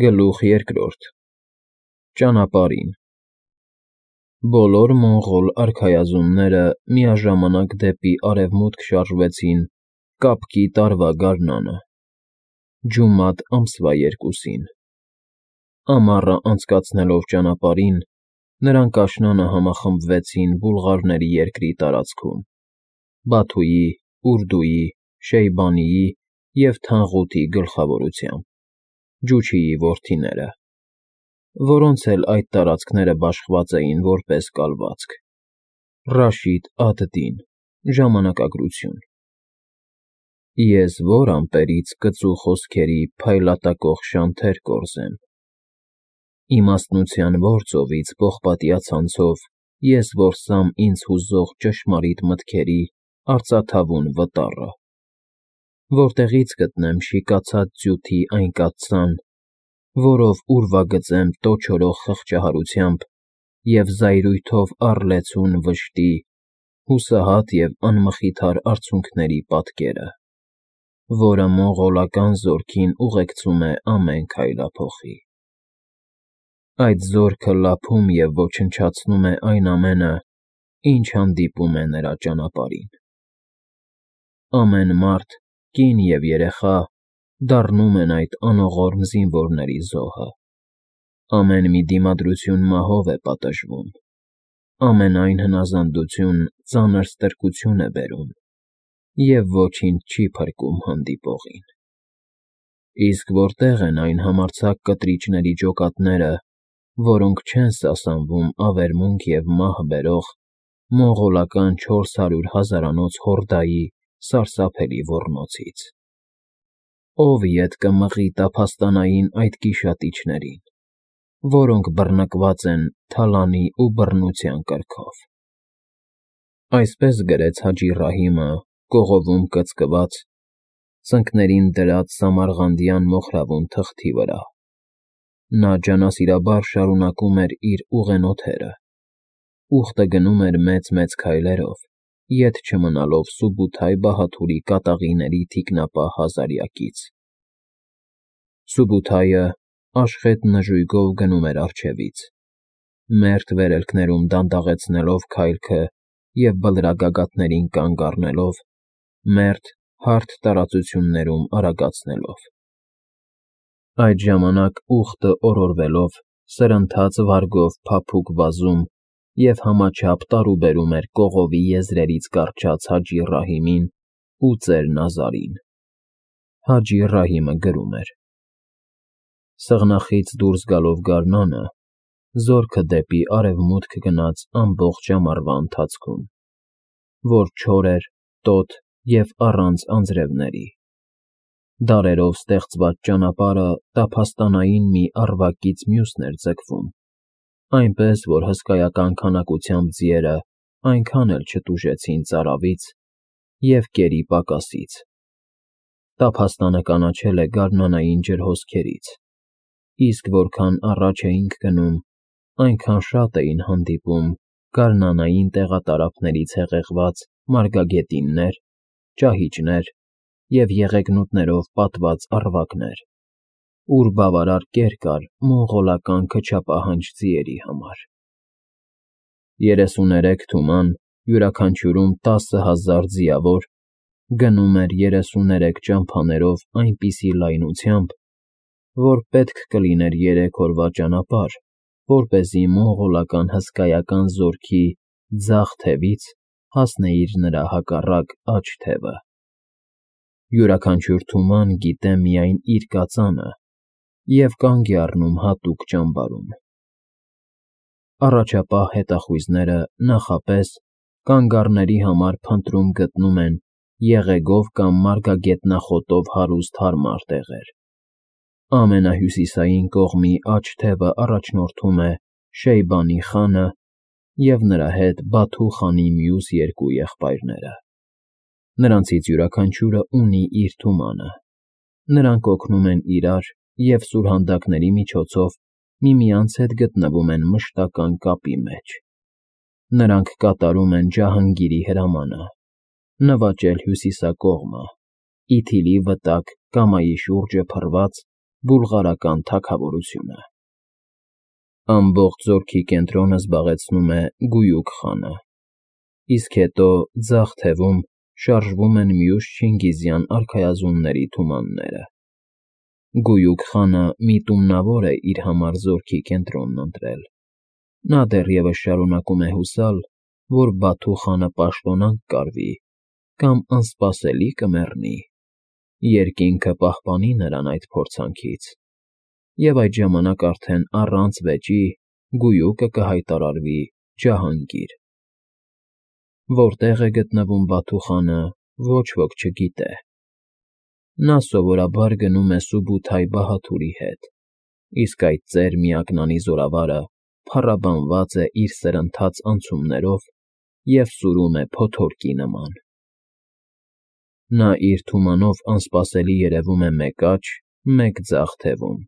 Գլուխ երկրորդ Ճանապարհին Բոլոր մոնղոլ արքայազունները միաժամանակ դեպի արևմուտք շարժվեցին կապկի տարվա գարնանը, ջումատ ամսվա 2-ին։ Ամառը անցկացնելով ճանապարհին, նրանք աշնանը համախմբվեցին բուլղարների երկրի տարածքում, Բաթուի, Ուրդուի, Շեյբանիի և Թանղութի գլխավորությամբ, Ջուչիի որդիները, որոնց էլ այդ տարածքները բաշխված էին որպես կալվածք։ Ռաշիդ ադ-Դին, ժամանակագրություն։ Ես որ ամպերից կծու խոսքերի փայլատակող շանթեր կորզեմ, իմաստնության որ ծովից պողպատյա ցանցով ես որսամ ինձ հուզող ճշմարիտ մտքերի արծաթավուն վտառը, որտեղի՞ց գտնեմ շիկացած ձյութի այն կաթսան, որով ուրվագծեմ տոչորող խղճահարությամբ և զայրույթով առլեցուն վշտի, հուսահատ և անմխիթար արցունքների պատկերը, որը մոնղոլական զորքին ուղեկցում է ամեն քայլափոխի։ Այդ զորքը լափում և ոչնչացնում է այն ամենը, ինչ հանդիպում է նրա ճանապարհին։ Ամեն մարդ, կին և երեխա դառնում են այդ անողորմ զինվորների զոհը։ Ամեն մի դիմադրություն մահով է պատժվում, ամենայն հնազանդություն ծանր ստրկություն է բերում, և ոչինչ չի փրկում հանդիպողին։ Իսկ որտե՞ղ են այն համարձակ կտրիչների ջոկատները, որոնք չեն սասանվում ավերմունք և մահ բերող մոնղոլական 400 հազարանոց հորդայի սարսափելի ոռնոցից։ Ո՞վ ետ կմղի տափաստանային այդ գիշատիչներին, որոնք բռնկված են թալանի ու բռնության կրքով։ Այսպես գրեց Հաջի Ռահիմը կողովում կծկված, ծնկներին դրած Սամարղանդյան մոխրավուն թղթի վրա։ Նա ջանասիրաբար շարունակում էր իր ուղենոթերը, ուխտը գնում էր մեծ-մեծ քայլերով, ետ չմնալով Սուբութայ Բահաթուրի կատաղիների թիկնապահ հազարյակից։ Սուբութայը աշխետ նժույգով գնում էր առջևից, մերթ վերելքներում դանդաղեցնելով քայլքը և բլրագագաթներին կանգ առնելով, մերթ հարթ տարածություններում արագացնելով։ Այդ ժամանակ ուխտը օրորվելով սրընթաց վարգով փափուկ վազում և համաչափ տարուբերում էր կողովի եզրերից կառչած Հաջի Ռահիմին ու ծեր Նազարին։ Հաջի Ռահիմը գրում էր. Սղնախից դուրս գալով գարնանը, զորքը դեպի արևմուտք գնաց ամբողջ ամառվա ընթացքում, որ չոր էր, տոտ և առանց անձրևների։ Դարերով ստեղծված ճանապարհը տափաստանային մի առվակից մյուսն էր ձգվում, այնպես որ հսկայական քանակությամբ ձիերը այնքան էլ չտուժեցին ծարավից և կերի պակասից։ Տափաստանը կանաչել է գարնանային ջրհոսքերից, իսկ որքան առաջ էինք գնում, այնքան շատ էին հանդիպում գարնանային տեղատարափներից հեղեղված մարգագետիններ, ճահիճներ և եղեգնուտներով պատված առվակներ, ուր բավարար կեր կար մոնղոլական քչապահանջ ձիերի համար։ 33 թուման, յուրաքանչյուրում 10,000 ձիավոր, գնում էր 33 ճամփաներով այնպիսի լայնությամբ, որ պետք կլիներ 3 օրվա ճանապարհ, որպեսզի մոնղոլական հսկայական զորքի ձախ թևից հասնեիր նրա հակառակ աջ թևը։ Յուրաքանչյուր թուման գիտե միայն իր կածանը և կանգ է առնում հատուկ ճամբարում։ Առաջապահ հետախույզները նախապես կանգառների համար փնտրում գտնում են եղեգով կամ մարգագետնախոտով հարուստ հարմար տեղեր։ Ամենահյուսիսային կողմի աջ թևը առաջնորդում է Շեյբանի խանը և նրա հետ Բաթու խանի մյուս երկու եղբայրները։ Նրանցից յուրաքանչյուրը ունի իր թումանը։ Նրանք օգնում են իրար և սուրհանդակների միջոցով միմյանց հետ գտնվում են մշտական կապի մեջ։ Նրանք կատարում են Ջահանգիրի հրամանը՝ նվաճել հյուսիսակողմը, Իթիլի վտակ Կամայի շուրջը փռված բուլղարական թագավորությունը։ Ամբողջ զորքի կենտրոնը զբաղեցնում է Գույուք խանը, իսկ հետո ձախ թևում շարժվում են մյուս չինգիզյան արքայազունների թումանները։ Գույուք խանը միտումնավոր է իր համար զորքի կենտրոնն ընտրել։ Նա դեռևս շարունակում է հուսալ, որ Բաթու խանը պաշտոնանկ կարվի կամ անսպասելի կմեռնի, երկինքը պահպանի նրան այդ փորձանքից, և այդ ժամանակ արդեն առանց վեճի Գույուկը կհայտարարվի ջահանգիր։ Որտեղ է գտնվում Բաթու խանը, ոչ ոք չգիտե։ Նա սովորաբար գնում է Սուբութայ Բահաթուրի հետ, իսկ այդ ծեր միակնանի զորավարը փառաբանված է իր սրընթաց անցումներով և սուրում է փոթորկի նման։ Նա իր թումանով անսպասելի երևում է մեկ աջ, մեկ ձախ թևում։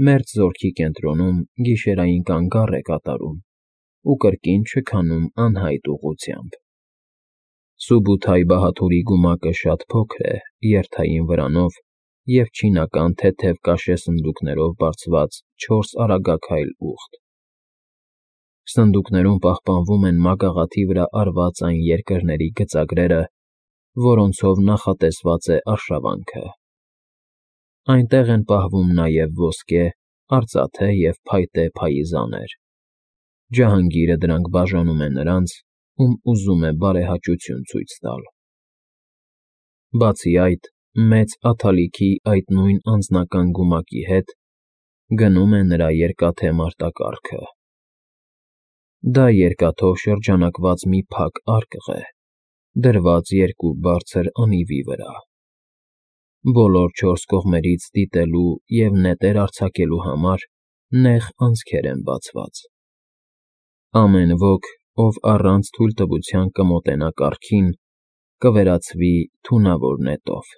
Մերձ զորքի կենտրոնում գիշերային կանգառ է կատարում ու կրկին չքանում անհայտ ուղղությամբ։ Սուբութայ Բահաթուրի գումակը շատ փոքր է, երթային վրանով և չինական թեթև կաշե սնդուկներով բարձված 4 արագաքայլ ուղտ։ Սնդուկներում պահպանվում են մագաղաթի վրա արված այն երկրների գծագրերը, որոնցով նախատեսված է արշավանքը։ Այնտեղ են պահվում նաև ոսկե, արծաթե և փայտե փայիզաներ։ Ջահանգիրը դրանք բաժանում է նրանց, ում ուզում է բարեհաճություն ցույց տալ։ Բացի այդ, մեծ աթալիքի այդ նույն անձնական գումակի հետ գնում է նրա երկաթե մարտակառքը։ Դա երկաթով շրջանակված մի փակ արկղ է, դրված երկու բարձր անիվի վրա։ Բոլոր 4 կողմերից դիտելու և նետեր արձակելու համար նեղ անցքեր են բացված։ Ամեն ոք, ով առանց թույլտվության կմոտենա կառքին, կվերածվի թունավոր նետով։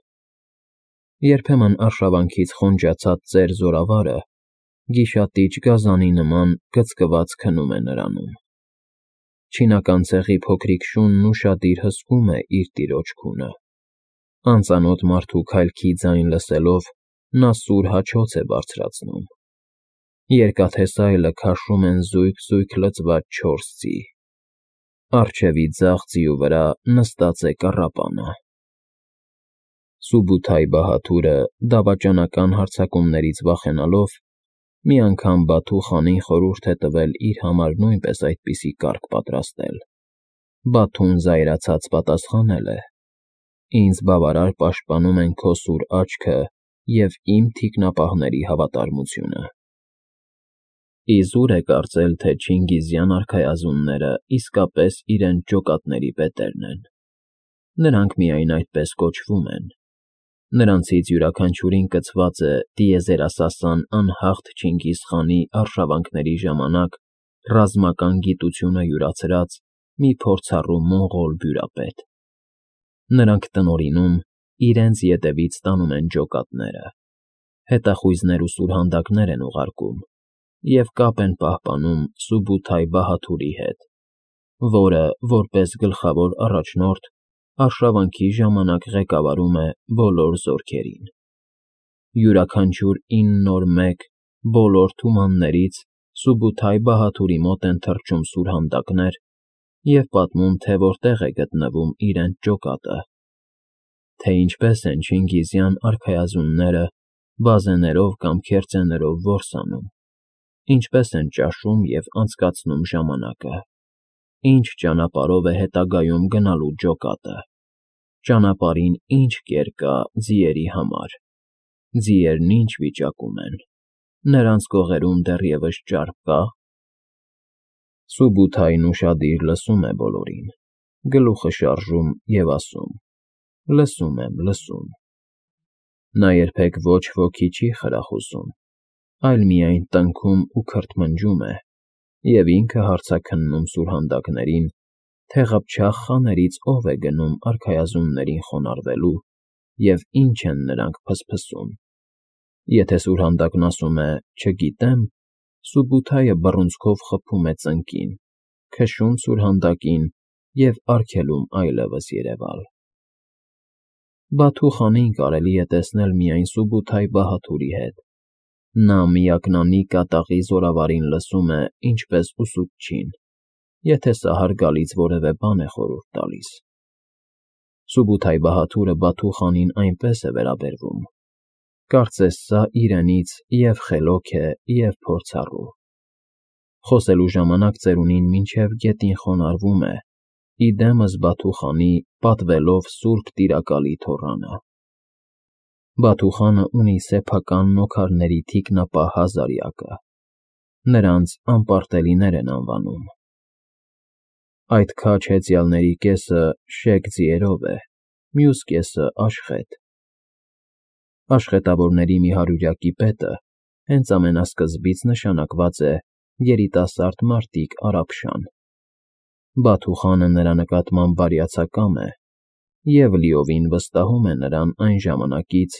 Երբեմն արշավանքից խոնջացած ծեր զորավարը գիշատիչ գազանի նման կծկված քնում է նրանում։ Չինական ցեղի փոքրիկ շունն ուշադիր հսկում է իր տիրոջ քունը։ Անծանոթ մարդու քայլքի ձայն լսելով նա սուր հաչոց է բարձրացնում։ Երկաթե սայլը քաշում են զույգ-զույգ լցված 4 ձի։ Առջևի ձախ ձիու վրա նստած է կառապանը։ Սուբութայ Բահաթուրը, դավաճանական հարձակումներից վախենալով, մի անգամ Բաթու խանին խորհուրդ է տվել իր համար նույնպես այդպիսի կառք պատրաստել։ Բաթուն զայրացած պատասխանել է. «Ինձ բավարար պաշտպանում են քո սուր աչքը և իմ թիկնապահների հավատարմությունը»։ Իզուր է կարծել, թե չինգիզյան արքայազունները իսկապես իրենց ջոկատների պետերն են։ Նրանք միայն այդպես կոչվում են։ Նրանցից յուրաքանչյուրին կցված է տիեզերասասան անհաղթ Չինգիզ խանի արշավանքների ժամանակ ռազմական գիտությունը յուրացրած մի փորձառու մոնղոլ բյուրապետ։ Նրանք տնօրինում, իրենց ետևից տանում են ջոկատները, հետախույզներ ու սուրհանդակներ են ուղարկում և կապ են պահպանում Սուբութայ Բահաթուրի հետ, որը, որպես գլխավոր առաջնորդ, արշավանքի ժամանակ ղեկավարում է բոլոր զորքերին։ Յուրաքանչյուր 9 օր մեկ բոլոր թումաններից Սուբութայ Բահաթուրի մոտ են թռչում սուրհանդակներ և պատմում, թե որտեղ է գտնվում իրենց ջոկատը, թե ինչպես են չինգիզյան արքայազունները բազեներով կամ քերծեներով որս անում, ինչպես են ճաշում և անցկացնում ժամանակը, ինչ ճանապարհով է հետագայում գնալու ջոկատը, ճանապարհին ինչ կեր կա ձիերի համար, ձիերն ինչ վիճակում են, նրանց կողերում դեռևս ճար կա՞։ Սուբութայն ուշադիր լսում է բոլորին, գլուխը շարժում և ասում. «Լսում եմ, լսում»։ Նա երբեք ոչ ոքի չի խրախուսում, այլ միայն տնքում ու քրթմնջում է և ինքը հարցաքննում սուրհանդակներին, թե ղփչաղ խաներից ով է գնում արքայազուններին խոնարհվելու և ինչ են նրանք փսփսում։ Եթե սուրհանդակն ասում է «չգիտեմ», Սուբութայը բռունցքով խփում է ծնկին, քշում սուրհանդակին և արգելում այլևս երևալ։ Բաթու խանին կարելի է տեսնել միայն Սուբութայ Բահաթուրի հետ, Նա միակնանի կատաղի զորավարին լսում է ինչպես ուսուցչին, եթե սա հարգալից որևէ բան է խորհուրդ տալիս։ Սուբութայ-Բահադուրը Բաթու֊խանին այնպես է վերաբերվում, կարծես սա իրենից և խելոք է, և փորձառու։ Խոսելու ժամանակ ծերունին մինչև գետին խոնարհվում է, ի դեմս Բաթու֊խանի պատվելով սուրբ տիրակալի թոռանը։ Բաթու֊խանը ունի սեփական նոքարների թիկնապահ հազարյակը, նրանց անպարտելիներ են անվանում։ Այդ քաջ հեծյալների կեսը շեկ ձիերով է, մյուս կեսը՝ աշխետ։ Աշխատավորների մի հարյուրյակի պետը հենց ամենասկզբից նշանակված է երիտասարդ մարտիկ Արաբշան։ Բաթու֊խանը նրա նկատմամբ բարյացակամ է և լիովին վստահում է նրան այն ժամանակից,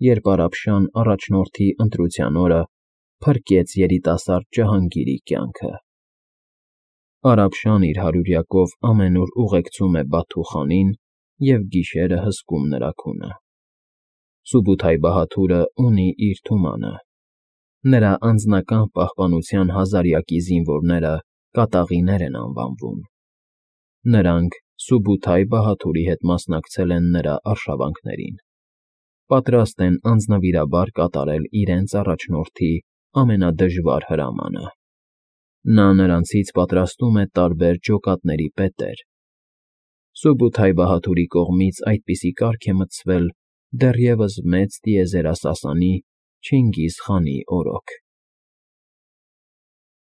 երբ Արաբշան առաջնորդի ընտրության օրը փրկեց երիտասարդ Ջահանգիրի կյանքը։ Արաբշան իր հարյուրյակով ամենուր ուղեկցում է Բաթու֊խանին և գիշերը հսկում նրա քունը։ Սուբութայ-Բահադուրը ունի իր թումանը։ Նրա անձնական պահպանության հազարյակի զինվորները կատաղիներ են անվանվում։ Նրանք Սուբութայ-Բահադուրի հետ մասնակցել են նրա արշավանքներին, պատրաստ են անձնվիրաբար կատարել իրենց առաջնորդի ամենադժվար հրամանը։ Նա նրանցից պատրաստում է տարբեր ջոկատների պետեր։ Սուբութայ-Բահադուրի կողմից այդպիսի կարգ է մտցվել դեռևս մեծ տիեզերասասանի Չինգիզ խանի օրոք։